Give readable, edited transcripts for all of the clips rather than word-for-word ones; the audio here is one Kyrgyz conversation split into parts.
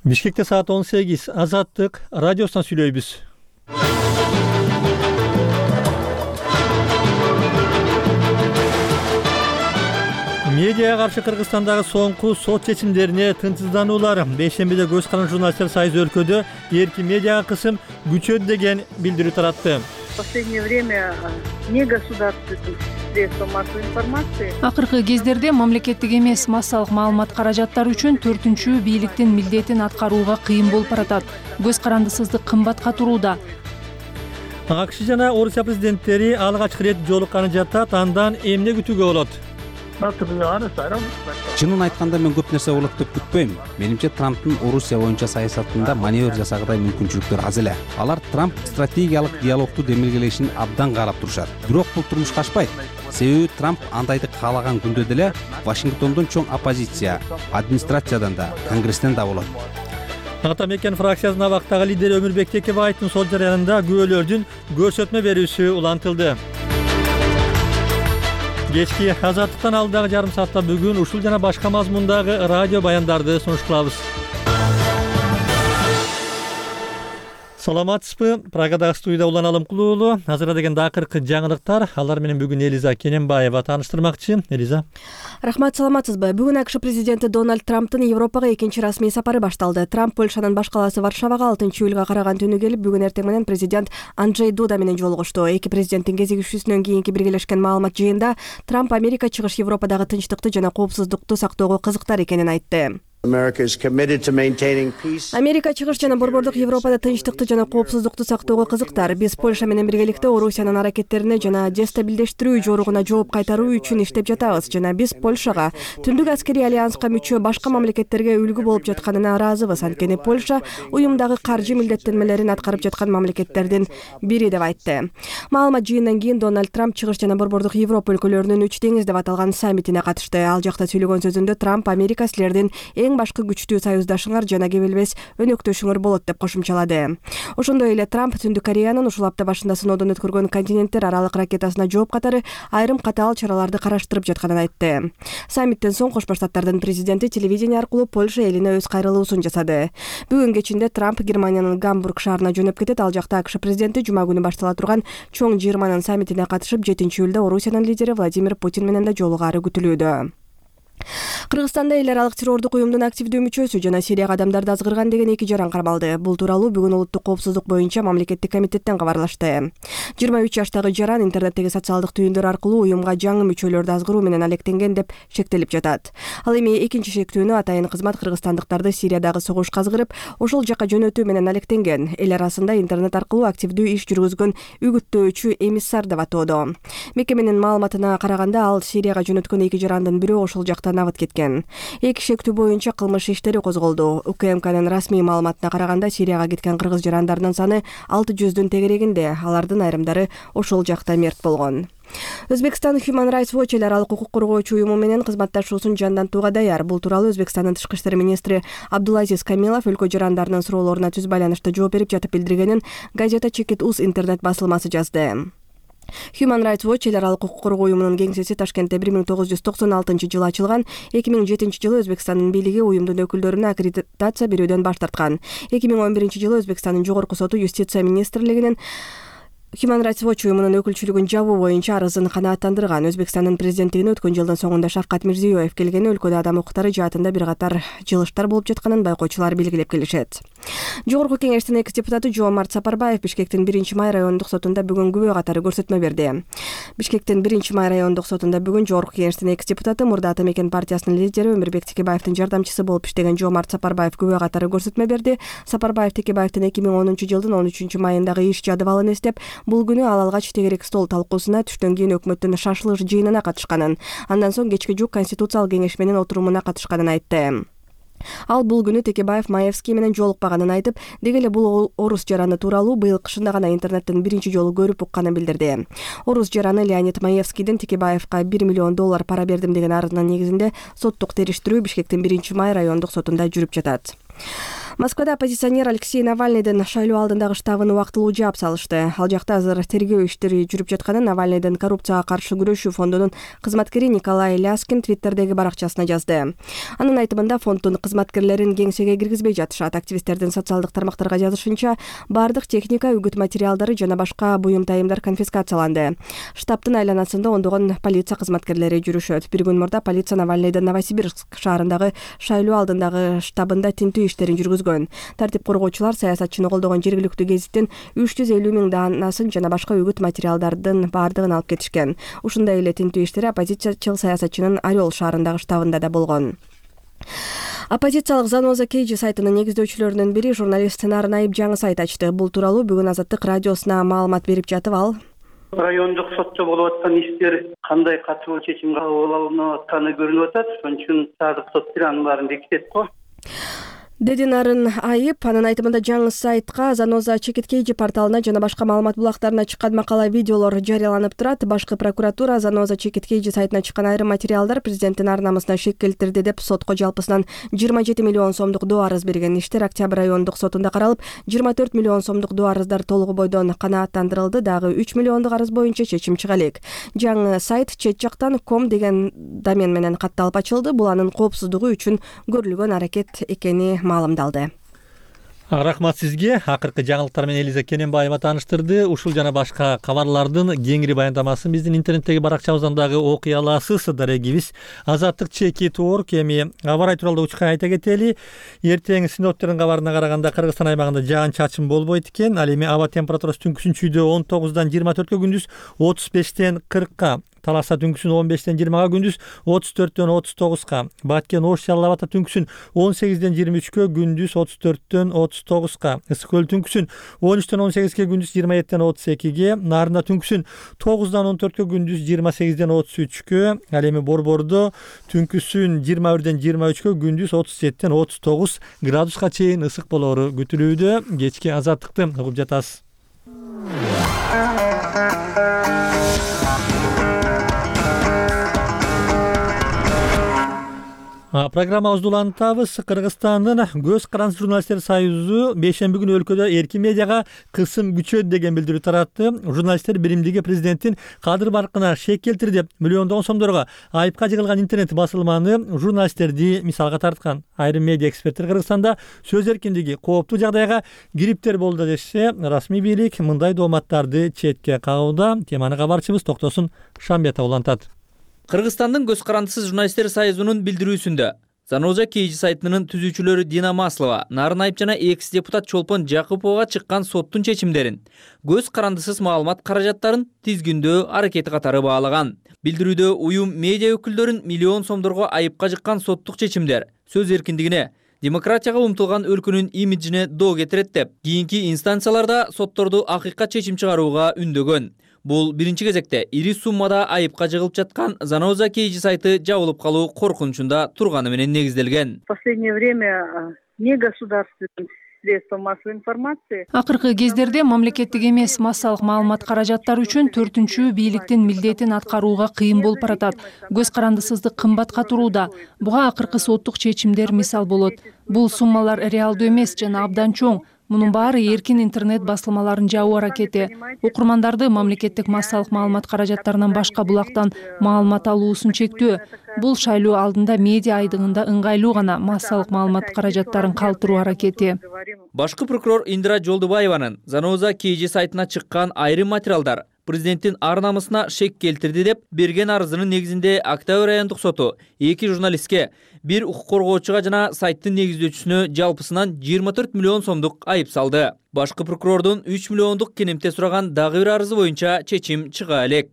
Бишкекте саат 18. Азаттык радиосунан сүйлөйбүз. Медиага каршы Кыргызстандагы соңку сот чечимдерине тынчсыздануулар бейшембиде көз каранды журналисттер союзу өлкөдө эркин медиага кысым күчөдү деген билдирүү таратты. В последнее время негосударственных средств массовой информации. Акыркы кездерде мамлекеттик эмес массалык маалымат каражаттары үчүн 4-чү бийликтин милдетин аткарууга кыйын болуп баратат. Көз карандысыздык кымбатка турууда. АКШ жана Орусия президенттери алгач ирет жолукканы жатат, андан эмне күтүүгө болот? Чынын айтканда мен көп нерсе болот деп күтпөйм. Менимче Трамптын Орусия боюнча саясатында маневр жасагыдай мүмкүнчүлүктөр аз эле. Алар Трамп стратегиялык диалогду демилгелешин абдан каалап турушат. Бирок бул турмушка ашпайт. Себеби Трамп андайды каалаган күндө деле Вашингтондон чоң оппозиция, администрациядан да, Конгресстен да болот. Ата мекен фракциясынын абактагы лидери Өмүрбек Текебаевдин сот жарыянында күбөлөрдүн көрсөтмө берүүсү улантылды. Кечки Азаттыктан алдагы жарым саатта бүгүн ушул жана башка мазмундагы радио баяндарды сунуш кылабыз. Саламатсызбы? Прагадагы студияда Улан Алымкулуу уулу. Азыр деген акыркы жаңылыктар. Алар менен бүгүн Элиза Кененбаева тааныштырмакчы. Элиза. Рахмат, саламатсызбы? Бүгүн АКШ президенти Дональд Трамптын Европага экинчи расмий сапары башталды. Трамп Польшанын баш калаасы Варшавага 6-июлга караган түнү келип, бүгүн эртең менен президент Анджей Дуда менен жолугушту. Эки президенттин кезигишүүсүнөн кийинки биргелешкен маалымат жыйында Трамп Америка чыгыш Европадагы тынчтыкты жана коопсуздукту сактоого кызыктар экенин айтты. Америка чыгыш жана борбордук Европада тынчтыкты жана коопсуздукту сактоого кызыктар. Биз Польша менен биргеликте Орусиянын аракеттерине жана дестабилдештирүү жоругуна жооп кайтаруу үчүн иштеп жатабыз жана биз Польшага Түндүк аскерий альянска мүчө башка мамлекеттерге үлгү болуп жатканына ыраазыбыз. Анткени Польша уюмдагы каржы милдеттенмелерин аткарып жаткан мамлекеттердин бири деп айтты. Маалымат жыйындан кийин Дональд Трамп чыгыш жана борбордук Европа өлкөлөрүнүн үч деңиз деп аталган саммитине катышты. Ал жакта сүйлөгөн сөзүндө Трамп Америка силердин эң башкы күчтүү союздашыңар жана кебелбес өнөктөшүңөр болот деп кошумчалады. Ошондой эле Трамп Түндүк Кореянын ушул апта башында сыноодон өткөргөн континенттер аралык ракетасына жооп катары айрым катаал чараларды караштырып жатканын айтты. Саммиттен соң Кош Баштаттардын президенти телевидение аркылуу Польша элине өз кайрылуусун жасады. Бүгүн кечинде Трамп Германиянын Гамбург шаарына жөнөп кетет. Ал жакта АКШ президенти жума күнү баштала турган чоң жыйырманын саммитине катышып, 7-июлда Орусиянын лидери Владимир Путин менен да жолугаары күтүлүүдө. Кыргызстанда эл аралык террордук уюмдун активдүү мүчөсү жана Сирияга адамдарды азгырган деген 2 жаран кармалды. Бул тууралуу бүгүн улуттук коопсуздук боюнча мамлекеттик комитеттен кабарлашты. 23 жаштагы жаран интернеттеги социалдык түйүндөр аркылуу уюмга жаңы мүчөлөрдү азгыруу менен алектенген деп шектелип жатат. Ал эми экинчи шектүүнү атайын кызмат кыргызстандыктарды Сириядагы согушка азгырып, ошол жака жөнөтүү менен алектенген. Эл арасында интернет аркылуу активдүү иш жүргүзгөн үгүттөөчү эмиссар деп атоодо. Мекеменин маалыматына караганда, ал Сирияга жөнөткөн 2 жарандын бирөө ошол жакта набыт кеткен. Эки шектүү боюнча кылмыш иштери козголду. УКМКнын расмий маалыматына караганда, Сирияга кеткен кыргыз жарандарынын саны 600-дүн тегерегинде. Алардын айрымдары ошол жакта мерт болгон. Өзбекстан Human Rights Watch эл аралык укук коргоочу уюму менен кызматташуусун жандантууга даяр. Бул тууралуу Өзбекстандын тышкы иштер министри Абдулазиз Камилов өлкө жарандарынын суроолоруна түз байланышта жооп берип жатып билдиргенин газета Чекит.uz интернет басылмасы жазды. Human Rights Watch эл аралык укук коргоо уюмунун кеңсеси Ташкентте 1996-жылы ачылган. 2007-жылы Өзбекстандын бийлиги уюмдун өкүлдөрүнө аккредитация берүүдөн баш тарткан. 2011-жылы Өзбекстандын жогорку соту Юстиция министрлигинин Human Rights Watch уюмунун өкүлчүлүгүн жабуу боюнча арызын канааттандырган. Өзбекстандын президенттигине өткөн жылдын соңунда Шавкат Мирзиёев келгени өлкөдө адам укуктары жаатында бир катар жылыштар болуп жатканын байкоочулар белгилеп келишет. Жогорку кеңештин экс депутаты Жоомарт Сапарбаев Бишкектин 1-май райондук сотунда бүгүн күбө катары көрсөтмө берди. Бишкектин 1-май райондук сотунда бүгүн Жогорку кеңештин экс депутаты, мурда Ата мекен партиясынын лидери Өмүрбек Текебаевдин жардамчысы болуп иштеген Жоомарт Сапарбаев күбө катары көрсөтмө берди. Сапарбаев Текебаевдин 2010-жылдын 13-майындагы иш жадыбалын эстеп, бул күнү ал алгач тегерек стол талкуусуна түштөн кийин өкмөттүн шашылыш жыйынына катышканын, андан соң кечки жук конституциялык кеңеш менен отурумуна катышканын айтты. Ал бул күнү Текебаев Маевский менен жолукпаганын айтып, деги эле бул орус жараны тууралуу быйыл кышында гана интернеттен биринчи жолу көрүп укканын билдирди. Орус жараны Леонид Маевскийдин Текебаевка $1 миллион пара бердим деген арызынын негизинде соттук териштирүү Бишкектин 1-май райондук сотунда жүрүп жатат. Москвада оппозиционер Алексей Навальныйдын шайлоо алдындагы штабын убактылуу жаап салышты. Ал жакта азыр тергөө иштери жүрүп жатканын Навальныйдын коррупцияга каршы күрөшүү фондунун кызматкери Николай Ляскин твиттердеги баракчасына жазды. Анын айтымында фонддун кызматкерлерин кеңсеге киргизбей жатышат. Активисттердин социалдык тармактарга жазышынча, бардык техника, үгүт материалдары жана башка буюм тайымдар конфискацияланды. Штабтын айланасында ондогон полиция кызматкерлери жүрүшөт. Бир күн мурда полиция Навальныйдын Новосибирск шаарындагы шайлоо алдындагы штабында тинтүү иштерин жүргүзгөн. Тартип коргоочулар саясатчыны колдогон жергиликтүү гезиттин 350 миң даанасын жана башка үгүт материалдардын бардыгын алып кетишкен. Ушундай эле тинтүү иштери оппозициячыл саясатчынын Орел шаарындагы штабында да болгон. Оппозициялык Заноза Кейджи сайтынын негиздөөчүлөрүнүн бири журналист Нарын Айып жаңы сайт ачты. Бул тууралуу бүгүн Азаттык радиосуна маалымат берип жатып ал: райондук сотчо болуп аткан иштер кандай катуу чечим кабыл алынып атканы көрүнүп атат. Ошон үчүн саадык сот анын баарын бекитет го, деди Нарын Айып. Анын айтымында жаңы сайтка Заноза Кейджи порталына жана башка маалымат булактарына чыккан макала, видеолор жарыяланып турат. Башкы прокуратура Заноза Кейджи сайтына чыккан айрым материалдар президенттин ар намысына шек келтирди деп сотко жалпысынан 27 миллион сомдук доо арыз берген. Иштер Октябрь райондук сотунда каралып, 24 миллион сомдук доо арыздар толугу бойдон канааттандырылды. Дагы 3 миллиондук арыз боюнча чечим чыга элек. Жаңы сайт чет жактан .com деген домен менен катталып ачылды. Бул анын коопсуздугу үчүн көрүлгөн аракет экени маалымдалды. Рахмат сизге. Акыркы жаңылыктар менен Элиза Кененбаева тааныштырды. Ушул жана башка кабарлардын кеңири баяндамасын биздин интернеттеги баракчабыздан дагы окуй аласыз. Дарегибиз azattik.org. Эми кабар тууралуу учкай айта кетели. Эртең синоптиктердин кабарына караганда Кыргызстан аймагында жаан чачын болбойт экен. Ал эми аба температурасы түнкүсүн чүйдө 19-дан 24-кө, күндүз 35-тен 40-ка. Таласа түнкүсүн 15-тен 20-га, күндүз 34-тен 39-га. Баткен Ош Жалал Абадта түнкүсүн 18-ден 23-кө, күндүз 34-тен 39-га. Ысык көл түнкүсүн 13-тен 18-ге, күндүз 27-тен 32-ге. Нарында түнкүсүн 9-дан 14-кө, күндүз 28-ден 33-кө. Ал эми Борбордо түнкүсүн 21-ден 23-кө, күндүз 37-тен 39 градуска чейин ысык болору күтүлүүдө. Кечки азаттыкты угуп жатасыз. Программабызды улантабыз. Кыргызстандын Көз карандысыз журналисттер союзу бейшемби күнү өлкөдө эркин медиага кысым күчөйт деген билдирүү таратты. Журналисттер биримдиги президенттин кадыр баркына шек келтирди деп миллиондогон сомдорго айыпка жыгылган интернет басылманы журналисттерди мисалга тарткан. Айрым медиа эксперттер Кыргызстанда сөз эркиндиги кооптуу жагдайга кириптер болду дешсе, расмий бийлик мындай дооматтарды четке кагууда. Теманы кабарчыбыз Токтосун Шамбетов улантат. Кыргызстандын Көз карандысыз журналисттер союзунун билдирүүсүндө Заноза Кейджи сайтынын түзүүчүлөрү Дина Маслова, Нарын Айып жана экс-депутат Чолпон Жакыповго чыккан соттун чечимдерин көз карандысыз маалымат каражаттарын тизгиндөө аракети катары баалаган. Билдирүүдө уюм медиа өкүлдөрүн миллион сомдорго айыпка жыккан соттук чечимдер сөз эркиндигине, демократияга умтулган өлкөнүн имиджине доо кетирет деп, кийинки инстанцияларда сотторду акыйкат чечим чыгарууга үндөгөн. Бул биринчи кезекте ири суммада айыпка жыгылып жаткан Заноза Кейджи сайты жабылып калуу коркунучунда турганы менен негизделген. В последнее время не государственные средства массовой информации. Акыркы кездерде мамлекеттик эмес массалык маалымат каражаттары үчүн 4-чү бийликтин милдетин аткарууга кыйын болуп баратат. Көз карандысыздык кымбатка турууда. Буга акыркы соттук чечимдер мисал болот. Бул суммалар реалдуу эмес жана абдан чоң. Мунун баары эркин интернет басылмаларын жабуу аракети. Окурмандарды мамлекеттик массалык маалымат каражаттарынан башка булактан маалымат алуусун чектөө. Бул шайлоо алдында медиа айдыгында ыңгайлуу гана массалык маалымат каражаттарын калтыруу аракети. Башкы прокурор Индира Жолдубаеванын Заноза Кейджи сайтына чыккан айрым материалдар президенттин ар намысына шек келтирди деп берген арызынын негизинде Октябрь райондук соту 2 журналистке, 1 укук коргоочуга жана сайттын негиздөөчүсүнө жалпысынан 24 миллион сомдук айып салды. Башкы прокурордун 3 миллиондук кенемте сураган дагы бир арызы боюнча чечим чыга элек.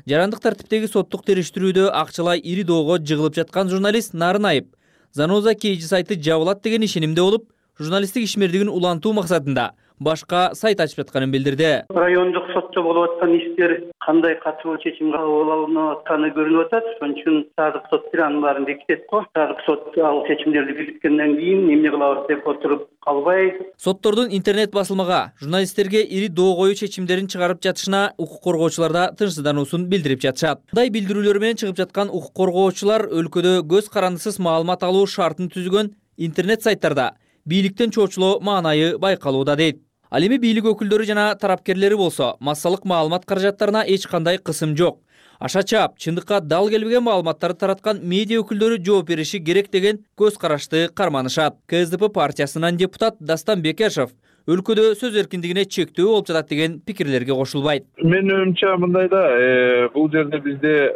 Жарандык тартиптеги соттук териштирүүдө акчалай ири доого жыгылып жаткан журналист Нарын Айып Заноза Кейджи сайты жабылат деген ишенимде болуп, журналисттик ишмердигин улантуу максатында башка сайт ачып жатканын билдирди. Райондук сотчо болуп аткан иштер кандай катуу чечим кабыл алынып атканы көрүнүп атат. Ошон үчүн саадык сот анын баарын бекитет го. Саадык сот ал чечимдерди бекиткенден кийин эмне кылабыз деп отуруп калбай. Соттордун интернет басылмага журналисттерге ири доо коюу чечимдерин чыгарып жатышына укук коргоочулар да тынчсыздануусун билдирип жатышат. Мындай билдирүүлөр менен чыгып жаткан укук коргоочулар өлкөдө көз карандысыз маалымат алуу шартын түзгөн интернет сайттарда бийликтен чоочулоо маанайы байкалууда дейт. Ал эми бийлик өкүлдөрү жана тарапкерлери болсо массалык маалымат каражаттарына эч кандай кысым жок. Аша чаап, чындыкка дал келбеген маалыматтарды тараткан медиа өкүлдөрү жооп бериши керек деген көз карашты карманышат. КСДП партиясынан депутат Дастан Бекешев өлкөдө сөз эркиндигине чектөө болуп жатат деген пикирлерге кошулбайт. Менин оюмча мындай да, бул жерде бизде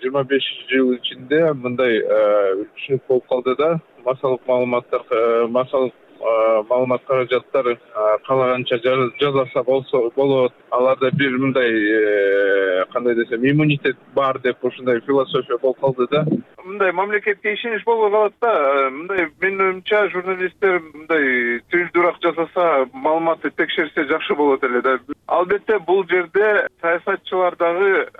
25 жыл ичинде мындай түшүнүк болуп калды да, массалык маалымат каражаттары каалаганча жасаса болот. Аларда бир мындай кандай десем, иммунитет бар деп ушундай философия болуп калды да. Мындай мамлекетке ишенич болбой калат да. Мындай менин оюмча журналисттер мындай түйүлдүрак жасаса, маалыматты текшерсе жакшы болот эле да. Албетте бул жерде саясатчылар дагы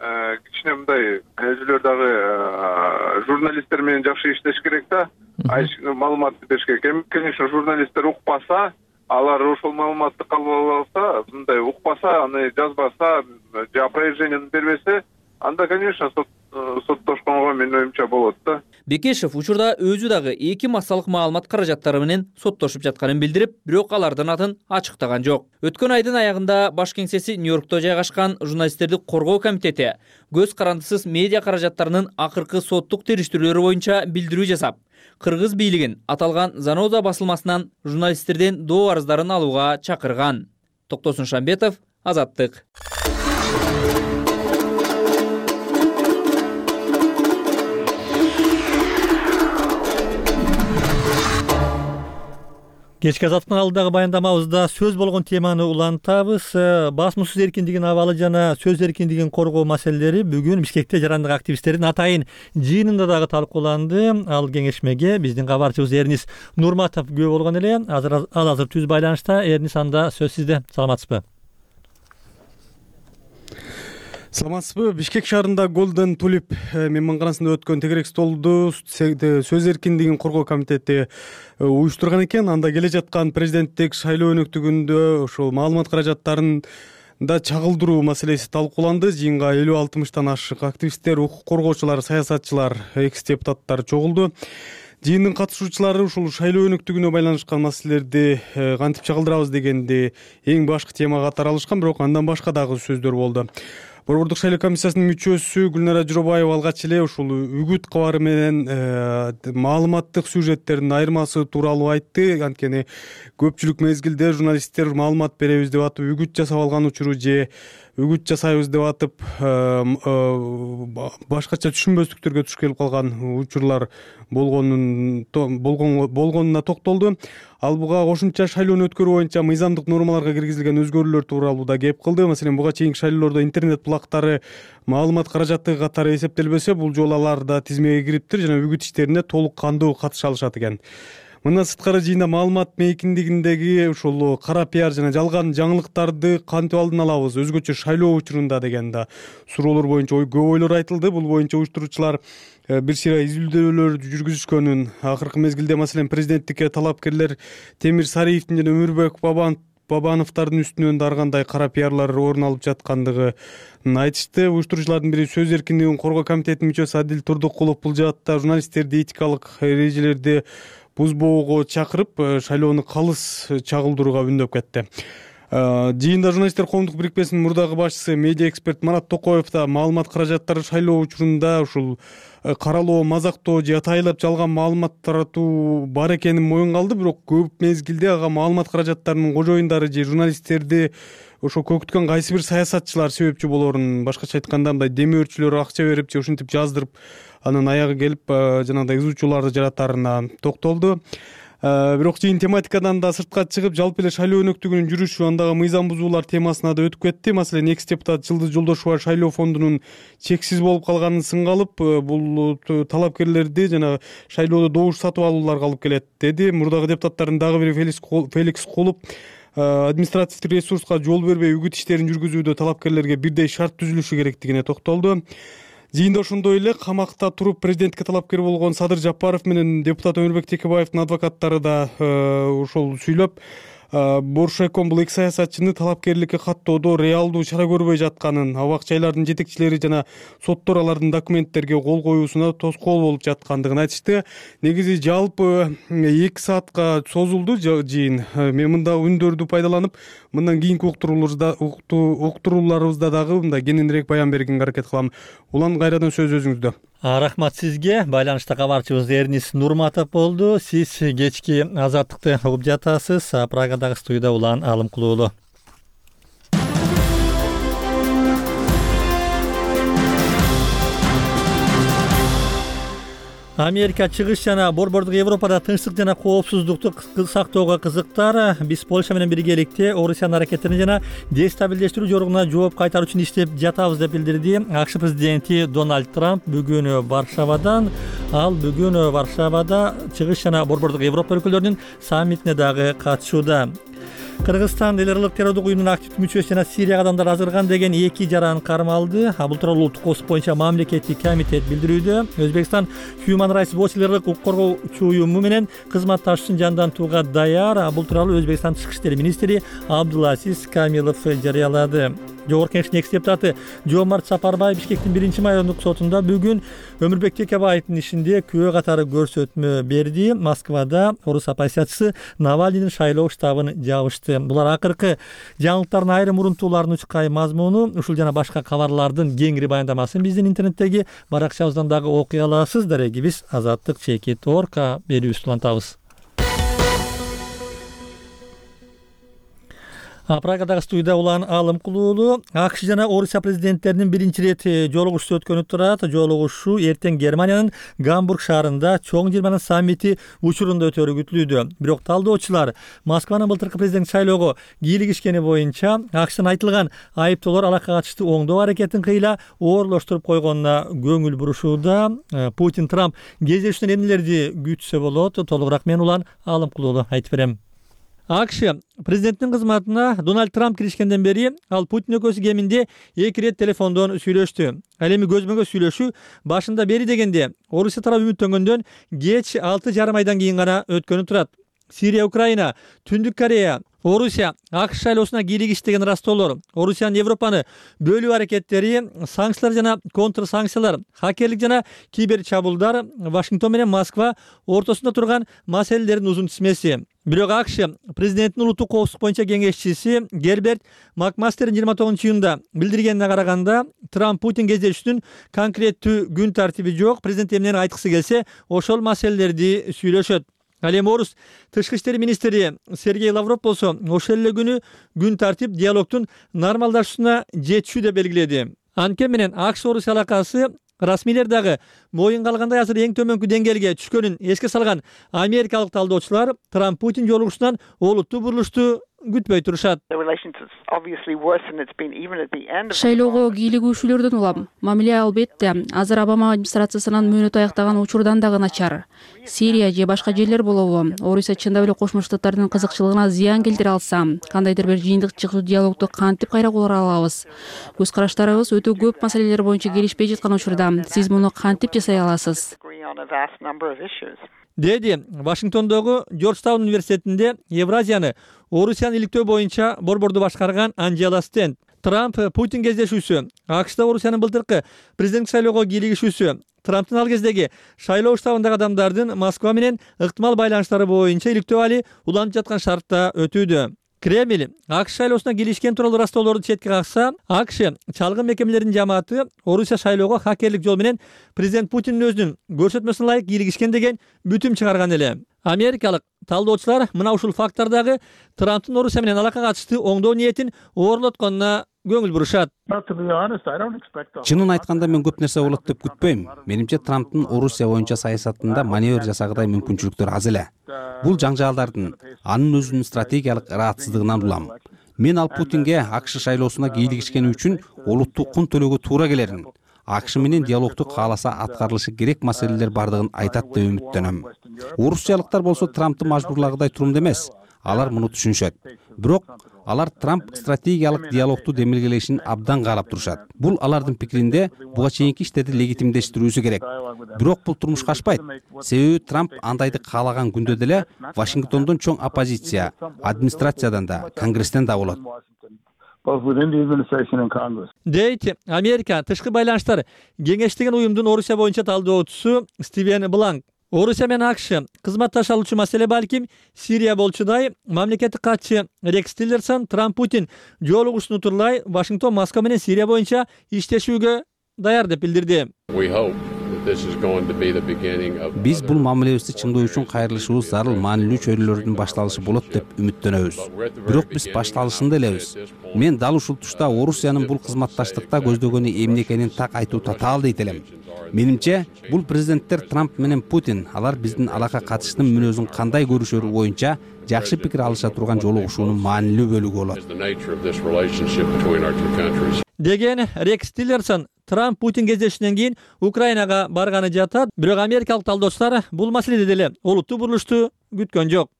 кичине мындай өзүлөр дагы журналисттер менен жакшы иштеш керек да. Маалыматты бериш керек. Конечно, журналисттер укпаса, алар ошол маалыматты кабыл алса, мындай укпаса, аны жазбаса, же опровержениени бербесе, анда, конечно, соттошконго менин оюмча болот да. Бекешев учурда өзү дагы 2 массалык маалымат каражаттары менен соттошуп жатканын билдирип, бирок алардын атын ачыктаган жок. Өткөн айдын аягында баш кеңсеси Нью-Йоркто жайгашкан журналисттерди коргоо комитети көз карандысыз медиа каражаттарынын акыркы соттук териштирүүлөрү боюнча билдирүү жасап, Кыргыз бийлигин аталган Заноза басылмасынан журналисттерден доо арыздарын алууга чакырган. Токтосун Шамбетов, Азаттык. Кечки Азаттыктын алдыдагы баяндамабызда сөз болгон теманы улантабыз. Басмасөз эркиндигинин абалы жана сөз эркиндигин коргоо маселелери бүгүн Бишкекте жарандык активисттердин атайын жыйынында дагы талкууланды. Ал кеңешмеге биздин кабарчыбыз Эрнис Нурматов күбө болгон эле. Ал азыр түз байланышта. Эрнис, анда сөз сизде. Саламатсызбы? Саламатсызбы? Бишкек шаарында Golden Tulip мейманканасында өткөн тегерек столду сөз эркиндигин коргоо комитети уюштурган экен. Анда келе жаткан президенттик шайлоо өнөктүгүндө ошол маалымат каражаттарын да чагылдыруу маселеси талкууланды. Жыйынга 50-60тан ашык активисттер, укук коргоочулар, саясатчылар, экс-депутаттар чогулду. Жыйындын катышуучулары ушул шайлоо өнөктүгүнө байланышкан маселелерди кантип чагылдырабыз дегенди эң башкы тема катары алышкан, бирок андан башка дагы сөздөр болду. Борбордук шайлоо комиссиясынын мүчөсү Гүлнара Жоробаева алгач эле ушул үгүт кабары менен маалыматтык сюжеттердин айырмасы тууралуу айтты. Анткени көпчүлүк мезгилде журналисттер маалымат беребиз деп атып үгүт жасап алган учуру же үгүт жасайбыз деп атып башкача түшүнбөстүктөргө туш келип калган учурлар болгонуна токтолду. Ал буга кошумча шайлоону өткөрүү боюнча мыйзамдык нормаларга киргизилген өзгөрүүлөр тууралуу да кеп кылды. Маселен, буга чейинки шайлоолордо интернет булактары маалымат каражаты катары эсептелбесе, бул жолу алар да тизмеге кириптир жана үгүт иштерине толук кандуу катыша алышат экен. Мындан сырткары жыйында маалымат мейкиндигиндеги ушул кара пиар жана жалган жаңылыктарды кантип алдын алабыз өзгөчө шайлоо учурунда деген да суроолор боюнча көп ойлор айтылды. Бул боюнча уюштуруучулар бир сыйра изилдөөлөр жүргүзүшкөнүн, акыркы мезгилде маселен президенттикке талапкерлер Темир Сариевдин жана Өмүрбек Бабановдордун үстүнөн да ар кандай кара пиарлар орун алып жаткандыгын айтышты. Уюштуруучулардын бири сөз эркиндигин коргоо комитетинин мүчөсү Адил Турдукулов бул жаатта журналисттерди этикалык эрежелерди бузбоого чакырып, шайлоону калыс чагылдырууга үндөп кетти. Жыйында журналисттер коомдук бирикмесинин мурдагы башчысы медиа эксперт Марат Токоев да маалымат каражаттары шайлоо учурунда ушул каралоо, мазактоо же атайлап жалган маалымат таратуу бар экенин моюнга алды. Бирок көп мезгилде ага маалымат каражаттарынын кожоюндары же журналисттерди ошо көктүккөн кайсы бир саясатчылар себепчи болорун, башкача айтканда мындай демөөрчүлөр акча берип же ушинтип жаздырып анын аягы келип жанагындай изучууларды жаратарына токтолду. Бирок жыйын тематикадан да сыртка чыгып, жалпы эле шайлоо өнөктүгүнүн жүрүшү, андагы мыйзам бузуулар темасына да өтүп кетти. Маселен, экс-депутат Жылдыз Жолдошова шайлоо фондунун чексиз болуп калганын сынга алып, бул талапкерлерди жана шайлоодо добуш сатып алууларга алып келет деди. Мурдагы депутаттардын дагы бири Феликс Кулуп административдик ресурска жол бербей үгүт иштерин жүргүзүүдө талапкерлерге бирдей шарт түзүлүшү керектигине токтолду. Жыйында ошондой эле камакта туруп президентке талапкер болгон Садыр Жапаров менен депутат Өмүрбек Текебаевдин адвокаттары да ошол сүйлөп, Боршайком бул эки саясатчыны талапкерликке каттоодо реалдуу чара көрбөй жатканын, абак жайлардын жетекчилери жана соттор алардын документтерге кол коюусуна тоскоол болуп жаткандыгын айтышты. Негизи жалпы 2 саатка созулду жыйын. Мен мында үндөрдү пайдаланып, мындан кийинки уктурууларыбызда дагы мындай кененирээк баян бергенге аракет кылам. Улан, кайрадан сөз өзүңүздө. Рахмат сизге. Байланышта кабарчыбыз Эрнис Нурматов болду. Сиз кечки Азаттыкты угуп жатасыз. Прагадагы студияда Улан Алымкулуулу. Америка чыгыш жана борбордук Европада тынчтык жана коопсуздукту сактоого кызыктар. Биз Польша менен биргеликте Орусиянын аракеттерин жана дестабилдештирүү жоругуна жооп кайтаруу үчүн иштеп жатабыз деп билдирди АКШ президенти Дональд Трамп бүгүн Варшавадан. Ал бүгүн Варшавада чыгыш жана борбордук Европа өлкөлөрүнүн саммитине дагы катышууда. Кыргызстан эл аралык террордук уюмунун активдүү мүчөсү жана Сирия адамдар азырган деген 2 жаран кармалды. Бул тууралуу улуттук коопсуздук боюнча мамлекеттик комитет билдирүүдө. Өзбекстан Human Rights Watch эл аралык укук коргоочу уюму менен кызматташууну жандантууга даяр. Бул тууралуу Өзбекстан тышкы иштер министри Абдулазиз Камилов жарыялады. Жогорку Кеңештин экс депутаты Жомарт Сапарбай Бишкектин 1-май райондук сотунда бүгүн Өмүрбек Текебаевдин ишинде күбө катары көрсөтмө берди. Москвада орус оппозициячысы Навальныйдын шайлоо штабын жабышты. Булар акыркы жаңылыктардын айрым урунтууларын учкай мазмуну, ушул жана башка кабарлардын кеңири баяндамасын биздин интернеттеги баракчабыздан дагы окуй аласыз. Дарегибиз Азаттык.org берүүбүздү улантабыз. Прагадагы студияда Улан Алымкулуулу. АКШ жана Орусия президенттеринин биринчи ирет жолугушуу өткөнү турат. Жолугушуу эртең Германиянын Гамбург шаарында чоң жыйырманын саммити учурунда өтөрү күтүлүүдө. Бирок талдоочулар Москванын былтыркы президент шайлоого кийлигишкени боюнча АКШтын айтылган айыптоолор алакка катыштуу оңдоо аракетин кыйла оорлоштуруп койгонуна көңүл бурушууда. Путин Трамп кездешүүнөн эмнелерди күтсө болот? Толугураак мен Улан Алымкулуулу айтып берем. АКШ президенттин кызматына Дональд Трамп киришкенден бери ал Путин экөөсү кеминде 2 рет телефондон сүйлөштү. Ал эми көзмө-көз сүйлөшүү башында бери дегенде Орусия тарабы үмүттөнгөндөн кеч 6,5 айдан кийин гана өткөнү турат. Сирия, Украина, Түндүк Корея, Орусия АКШ шайлоосуна кийлигиштеген растоолор, Орусиянын Европаны бөлүү аракеттери, санкциялар жана контрсанкциялар, хакерлик жана кибер чабуулдар, Вашингтон менен Москва ортосунда турган маселелердин узун тизмеси. Бирок АКШ президенттин улуттук коопсуздук боюнча кеңешчиси Герберт Макмастердин 29-июнда билдиргенине караганда, Трамп Путин кездешүүнүн конкреттүү күн тартиби жок. Президент эмнени айткысы келсе, ошол маселелерди сүйлөшөт. Ал эми орус тышкы иштер министри Сергей Лавров болсо ошол эле күнү күн тартип диалогдун нормалдашуусуна жетишүү деп белгиледи. Анткени менен АКШ Орусия алакасы расмийлер дагы моюнга алгандай азыр эң төмөнкү деңгээлге түшкөнүн эске салган америкалык талдоочулар Трамп Путин жолугушуунан олуттуу бурулушту күтпөй турушат. Шайлоого кийлигүүчүлөрдөн улам. Мамиле албетте азыр Обама администрациясынын мөөнөтү аяктаган учурдан дагы начар. Сирия же башка жерлер болобу? Орусия чындап эле Кошмо Штаттардын кызыкчылыгына зыян келтире алса, кандайдыр бир жыйынтык чыгуу диалогду кантип кайра кура алабыз? Көз караштарыбыз өтө көп маселелер боюнча келишпей жаткан учурда сиз муну кантип жасай аласыз? Деди Вашингтондогу Джорджтаун университетинде Евразияны Орусияны иликтөө боюнча борборду башкарган Анжела Стенд. Трамп Путин кездешүүсү, АКШда Орусиянын былтыркы президенттик шайлоого кийлигишүүсү, Трамптын ал кездеги шайлоо штабындагы адамдардын Москва менен ыктымал байланыштары боюнча иликтөө али уланып жаткан шартта өтүүдө. Кремль АКШ шайлоосуна кийлигишкен тууралуу растоолорду четке какса, АКШ чалгын мекемелеринин жамааты Орусия шайлоого хакерлик жол менен президент Путиндин өзүнүн көрсөтмөсүнө ылайык кийлигишкен деген бүтүм чыгарган эле. Америкалык талдоочулар мына ушул фактордагы Трамптын Орусия менен алакка катыштуу оңдоо ниетин оорлотконуна көңүл бурушат. Чынын айтканда мен көп нерсе болот деп күтпөйм. Менимче Трамптын Орусия боюнча саясатында маневр жасагыдай мүмкүнчүлүктөр аз эле. Бул жаңжаалдардын анын өзүнүн стратегиялык ыраатсыздыгынан улам. Мен ал Путинге АКШ шайлоосуна кийлигишкени үчүн олуттуу кун төлөөгө туура келерин, АКШ менен диалогду кааласа аткарылышы керек маселелер бардыгын айтат деп үмүттөнөм. Орусиялыктар болсо Трамптты мажбурлагыдай турумда эмес. алар муну түшүнүшөт. Бирок алар Трамп стратегиялык диалогду демилгелешин абдан каалап турушат. Бул алардын пикиринде буга чейинки иштерди легитимдештирүүсү керек. Бирок бул турмушка ашпайт. Себеби Трамп андайды каалаган күндө деле Вашингтондон чоң оппозиция, администрациядан да, Конгресстен да болот. Дейт Америка тышкы байланыштар кеңештеген уюмдун Орусия боюнча талдоочусу Стивен Бланк. Орусия менен АКШ кызматташа алуучу маселе балким Сирия болчудай. Мамлекеттик катчы Рекс Тиллерсон Трамп Путин жолугушууну турлай Вашингтон Москва менен Сирия боюнча иштешүүгө даяр деп билдирди. Биз бул мамилебизди чыңдоо үчүн кайрылышыбыз зарыл маанилүү чөйрөлөрдүн башталышы болот деп үмүттөнөбүз. Бирок биз башталышында элебиз. Мен дал ушул тушта Орусиянын бул кызматташтыкта көздөгөнү эмне экенин так айтуу татаал дейт элем. Менимче, бул президенттер Трамп менен Путин алар биздин алакка катыштын мүнөзүн кандай көрүшөрү боюнча жакшы пикир алыша турган жолугушуунун маанилүү бөлүгү болот. Деген Рекс Тиллерсон Трамп Путин кездешүүнөн кийин Украинага барганы жатат. Бирок америкалык талдоочулар бул маселеде деле олуттуу бурулушту күткөн жок.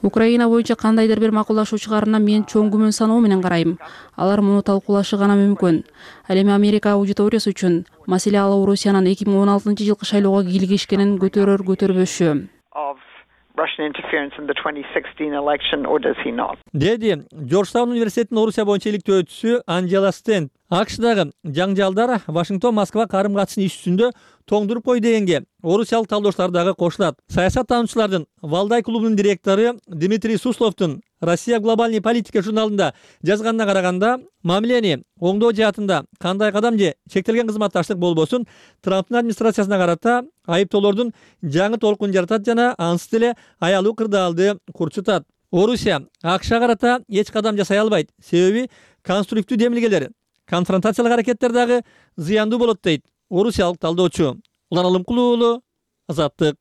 Украина боюнча кандайдыр бир макулдашуу чыгарына мен чоң күмөн саноо менен карайм. Алар муну талкуулашы гана мүмкүн. Ал эми Америка аудиториясы үчүн маселе ал Орусиянын 2016-жылкы шайлоого кийлигишкенин көтөрбөшү. Деди Жоржтаун университетинин Орусия боюнча иликтөөчүсү Анжела Стенд. АКШдагы жаңжалдар Вашингтон-Москва карым-катышын иш жүзүндө тоңдуруп кой дегенге орусиялык талдоочулар дагы кошулат. Саясаттануучулардын Валдай клубунун директору Дмитрий Сусловдун Россия глобальный политика журналында жазганына караганда, мамилени оңдоо жаатында кандай кадам же чектелген кызматташтык болбосун Трамптын администрациясына карата айыптоолордун жаңы толкун жаратат жана ансыз деле аялуу кырдаалды курчутат. Орусия АКШга карата эч кадам жасай албайт. Себеби конструктивдүү демилгелер, конфронтациялык аракеттер дагы зыяндуу болот дейт орусиялык талдоочу. Улан Алымкулуу уулу, Азаттык.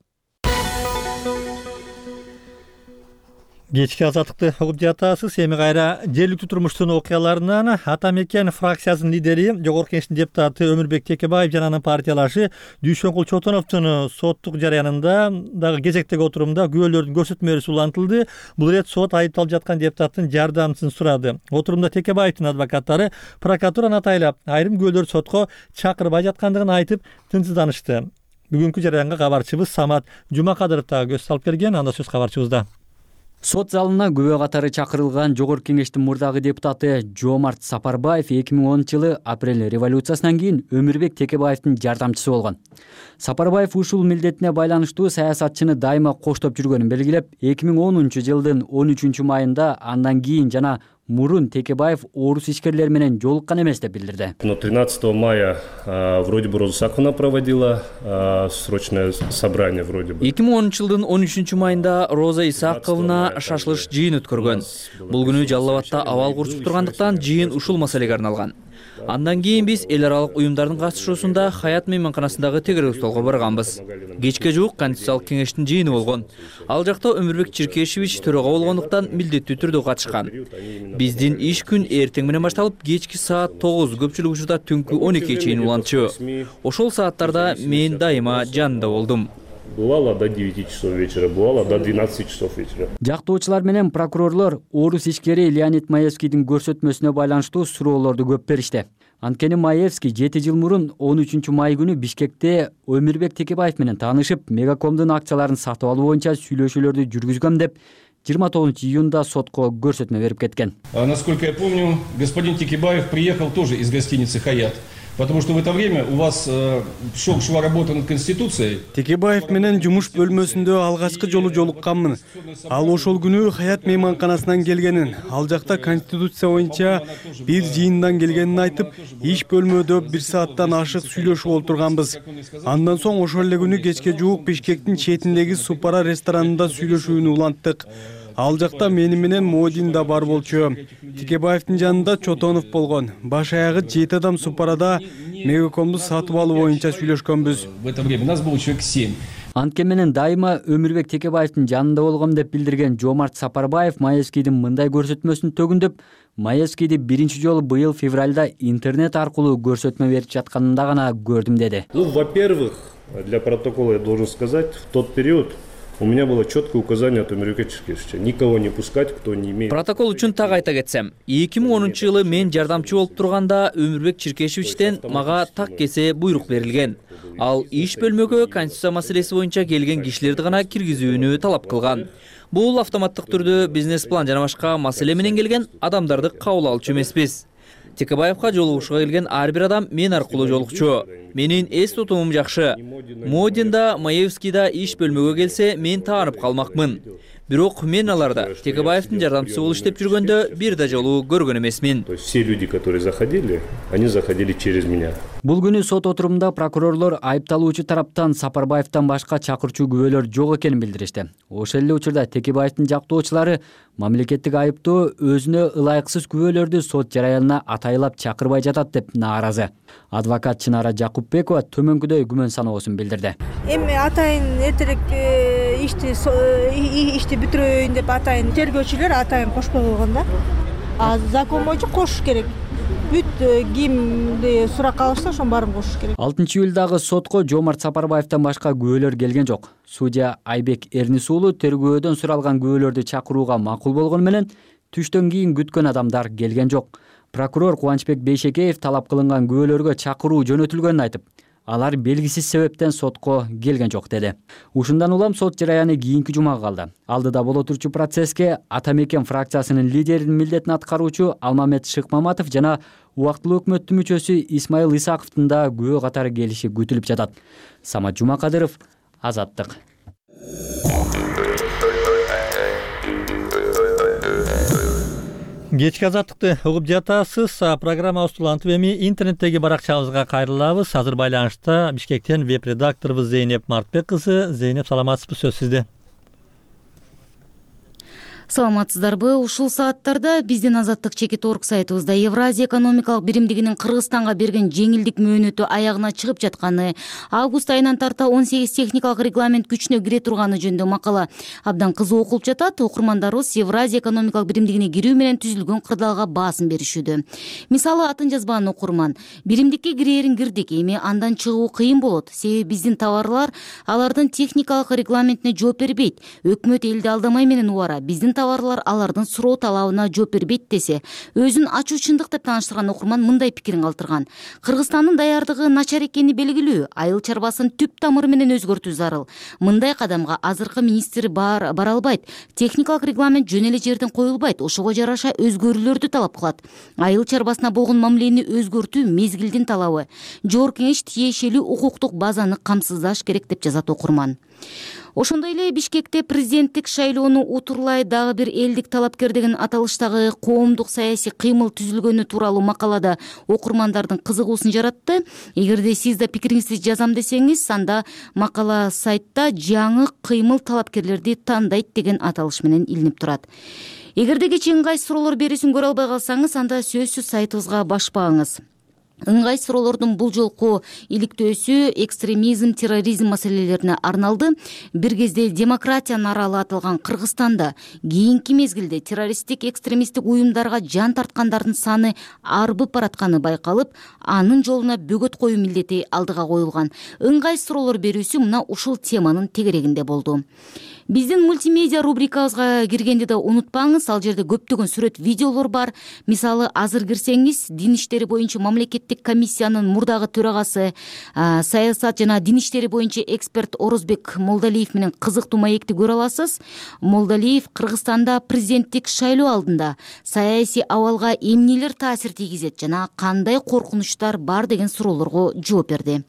Кечки Азаттыкты угуп жатасыз. Эми кайра жергиликтүү турмуштун окуяларынан Ата Мекен фракциясынын лидери, Жогорку Кеңештин депутаты Өмүрбек Текебаев жана анын партиялашы Дүйшөнкул Чотоновдун соттук жарыянында дагы кезектеги отурумда күбөлөрдүн көрсөтмөлөрү улантылды. Бул ирет сот айыпталып жаткан депутаттын жардамчысын сурады. Отурумда Текебаевдин адвокаттары прокуратураны атайлап айрым күбөлөр сотко чакырбай жаткандыгын айтып тынчсызданышты. Бүгүнкү жарыянга кабарчыбыз Самат Жумакадыров дагы көз салып келген. Анда сөз кабарчыбызда. Сот залына күбө катары чакырылган Жогорку Кеңештин мурдагы депутаты Жомарт Сапарбаев 2010-жылы апрель революциясынан кийин Өмүрбек Текебаевдин жардамчысы болгон. Сапарбаев ушул милдетине байланыштуу саясатчыны дайыма коштоп жүргөнүн белгилеп, 2010-жылдын 13-майында андан кийин жана мурун Текебаев орус ишкерлери менен жолуккан эмес деп билдирди. 13 мая вроде бы Роза Исаковна проводила срочное собрание вроде бы. 2010-жылдын 13-майында Роза Исаковна шашылыш жыйын өткөргөн. Бул күнү Жалал Абадта абал курчуп тургандыктан жыйын ушул маселеге арналган. Андан кийин биз эл аралык уюмдардын катышуусунда Хаят мейманканасындагы тегерек столго барганбыз. Кечке жуук Конституциялык кеңештин жыйыны болгон. Ал жакта Өмүрбек Чиркешевич төрага болгондуктан милдеттүү түрдө катышкан. Биздин иш күн эртең менен башталып, кечки саат 9, көпчүлүк учурда түнкү 12-ге чейин улантчу. Ошол сааттарда мен дайыма жанында болдум. Бывало до 9 часов вечера, бывало до 12 часов вечера. Жактоочулар менен прокурорлор орус ишкери Леонид Маевскийдин көрсөтмөсүнө байланыштуу суроолорду көп беришти. Анткени Маевский 7 жыл мурун 13 май күнү Бишкекте Өмүрбек Текебаев менен таанышып, Мегакомдун акцияларын сатып алуу боюнча сүйлөшүүлөрдү жүргүзгөм деп 29 июнда сотко көрсөтмө берип кеткен. Насколько я помню, господин Текебаев приехал тоже из гостиницы «Хаят». Потому что в это время у вас шла работа над Конституцией. Текебаев менен жумуш бөлмөсүндө алгачкы жолу жолукканмын. Ал ошол күнү Хаят мейманканасынан келгенин, ал жакта Конституция боюнча бир жыйындан келгенин айтып, иш бөлмөдө 1 сааттан ашык сүйлөшүп олтурганбыз. Андан соң ошол эле күнү кечке жуук Бишкектин четиндеги Супара ресторанында сүйлөшүүнү уланттык. Ал жакта мени менен Модин да бар болчу. Текебаевдин жанында Чотонов болгон. Баш аягы 7 адам Супарада Мегакомду сатып алуу боюнча сүйлөшкөнбүз. В это время нас было человек 7. Анткен менен дайыма Өмүрбек Текебаевдин жанында болгом деп билдирген Жомарт Сапарбаев Маевскийдин мындай көрсөтмөсүн төгүндөп, Маевскийди биринчи жолу быйыл февралда интернет аркылуу көрсөтмө берип жатканында гана көрдүм деди. Во-первых, для протокола я должен сказать, в тот период У меня было четкое указание от Өмүрбек Черкешевича никого не пускать, кто не имеет. Протокол үчүн так айта кетсем, 2010-жылы мен жардамчы болуп турганда Өмүрбек Черкешевичтен мага так кесе буйрук берилген. Ал иш бөлмөгө конституция маселеси боюнча келген кишилерди гана киргизүүнү талап кылган. Бул автоматтык түрдө бизнес-план жана башка маселе менен келген адамдарды кабыл алчу эмеспиз. Текебаевка жолугушууга келген ар бир адам мен аркылуу жолукчу. Менин эс тутумум жакшы. Модин да, Маевский да иш бөлмөгө келсе, мен таанып калмакмын. Бирок мен аларда Текебаевдин жардамчысы болуп иштеп жүргөндө бир да жолу көргөн эмесмин. То есть все люди, которые заходили, они заходили через меня. Бул күнү сот отурумунда прокурорлор айыпталуучу тараптан Сапарбаевден башка чакырчу күбөлөр жок экенин билдиришти. Ошол эле учурда Текебаевдин жактоочулары мамлекеттик айыптоо өзүнө ылайыксыз күбөлөрдү сот жараянына атайлап чакырбай жатат деп нааразы. Адвокат Чынара Жакупбекова төмөнкүдөй күмөн саноосун билдирди. Эми атайын эртерээк ишти бүтүрөйүн деп атайын тергөөчүлөр атайын кошпой койгон да. Закон боюнча кошуш керек. Бүт кимди суракка алышса ошонун баарын кошуш керек. 6-июлдагы сотко Жомарт Сапарбаевден башка күбөлөр келген жок. Судья Айбек Эрнис уулу тергөөдөн суралган күбөлөрдү чакырууга макул болгону менен түштөн кийин күткөн адамдар келген жок. Прокурор Кубанычбек Бейшекеев талап кылынган күбөлөргө чакыруу жөнөтүлгөнүн айтып, алар белгисиз себептен сотко келген жок деди. Ушундан улам сот жараяны кийинки жумага калды. Алдыда боло турчу процесске Ата Мекен фракциясынын лидеринин милдетин аткаруучу Алмамет Шыкмаматов жана убактылуу өкмөттүн мүчөсү Исмайыл Исаковдун да күбө катары келиши күтүлүп жатат. Самат Жумакадыров, Азаттык. Кечки азаттыкты угуп жатасыз. Программабыз улантып эми интернеттеги баракчабызга кайрылабыз. Азыр байланышта Бишкектен веб-редакторубуз Зейнеп Мартбек кызы. Зейнеп, саламатсызбы? Сөз сизде. Саламатсыздарбы? Ушул сааттарда биздин Азаттык чекит орг сайтыбызда Евразия экономикалык биримдигинин Кыргызстанга берген жеңилдик мөөнөтү аягына чыгып жатканы, август айынан тарта 18 техникалык регламент күчүнө кире турганы жөнүндө макала абдан кызуу окулуп жатат. Окурмандарыбыз Евразия экономикалык биримдигине кирүү менен түзүлгөн кырдаалга баасын беришүүдө. Мисалы, атын жазбаган окурман: биримдикке кирээрин кирдик, эми андан чыгуу кыйын болот. Себеби биздин товарлар алардын техникалык регламентине жооп бербейт. Өкмөт элди алдамай менен убара. Биздин товарлар алардын суроо талабына жооп бербейт десе, өзүн ачуу чындык деп тааныштырган окурман мындай пикирин калтырган: Кыргызстандын даярдыгы начар экени белгилүү, айыл чарбасын түп тамыры менен өзгөртүү зарыл. Мындай кадамга азыркы министр бара албайт. Техникалык регламент жөн эле жерден коюлбайт, ошого жараша өзгөрүүлөрдү талап кылат. Айыл чарбасына болгон мамилени өзгөртүү мезгилдин талабы. Жогорку кеңеш тиешелүү укуктук базаны камсыздаш керек деп жазат окурман. Ошондой эле Бишкекте президенттик шайлоону утурлай дагы бир элдик талапкер деген аталыштагы коомдук саясий кыймыл түзүлгөнү тууралуу макалада окурмандардын кызыгуусун жаратты. Эгерде сиз да пикириңизди жазам десеңиз, анда макала сайтта жаңы кыймыл талапкерлерди тандайт деген аталыш менен илинип турат. Эгерде кечээ ыңгайсыз суроолор берүүсүн көрө албай калсаңыз, анда сөзсүз сайтыбызга башпаңыз. Ыңгайсыз суроолордун бул жолку иликтөөсү экстремизм, терроризм маселелерине арналды. Бир кезде демократиянын аралы аталган Кыргызстанда кийинки мезгилде террористтик, экстремисттик уюмдарга жан тарткандардын саны арбып баратканы байкалып, анын жолуна бөгөт коюу милдети алдыга коюлган. Ыңгайсыз суроолор берүүсү мына ушул теманын тегерегинде болду. Биздин мультимедиа рубрикабызга киргенди да унутпаңыз. Ал жерде көптөгөн сүрөт, видеолор бар. Мисалы, азыр кирсеңиз, дин иштери боюнча мамлекеттик комиссиянын мурдагы төрагасы, саясат жана дин иштери боюнча эксперт Орозбек Молдалиев менен кызыктуу маекти көрө аласыз. Молдалиев Кыргызстанда президенттик шайлоо алдында саясий абалга эмнелер таасир тийгизет жана кандай коркунучтар бар деген суроолорго жооп берди.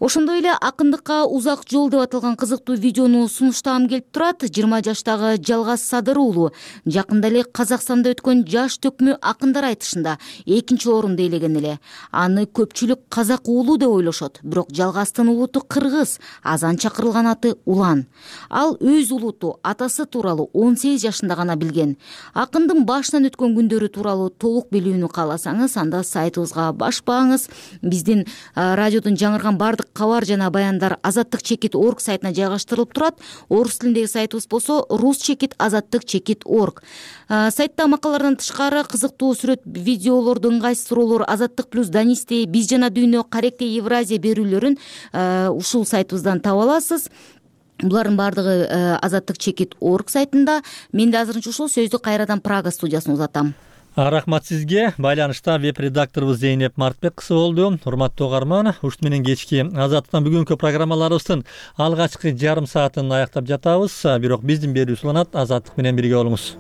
Ошондой эле акындыкка узак жол деп аталган кызыктуу видеону сунуштагым келип турат. 20 жаштагы Жалгаз Садыр уулу жакында эле Казакстанда өткөн жаш төкмө акындар айтышында 2-нчи орунду ээлеген эле. Аны көпчүлүк казак уулу деп ойлошот, бирок Жалгаздын улуту кыргыз, азан чакырылган аты Улан. Ал өз улуту, атасы тууралуу 18 жашында гана билген. Акындын башынан өткөн күндөрү тууралуу толук билүүнү кааласаңыз, анда сайтыбызга башпаңыз. Биздин радиодон жаңырган бардык кабар жана баяндар Азаттык чекит орг сайтына жайгаштырылып турат. Орус тилиндеги сайтыбыз болсо Рус чекит Азаттык чекит орг. Сайтта макалалардан тышкары кызыктуу сүрөт, видеолорду, ыңгайсыз суроолор, Азаттык плюс Данисти, Биз жана дүйнө, Каректе Евразия берүүлөрүн ушул сайтыбыздан таба аласыз. булардын баардыгы азаттык чекит орг сайтында. Мен да азырынча ушул сөздү кайрадан Прага студиясына узатам. Рахмат сизге. Байланышта веб редакторубуз Зейнеп Мартбек кызы болду. Урматтуу угарман, ушут менен кечки Азаттыктан бүгүнкү программаларыбыздын алгачкы жарым саатын аяктап жатабыз. Бирок биздин берүүбүз уланат. Азаттык менен бирге болуңуз.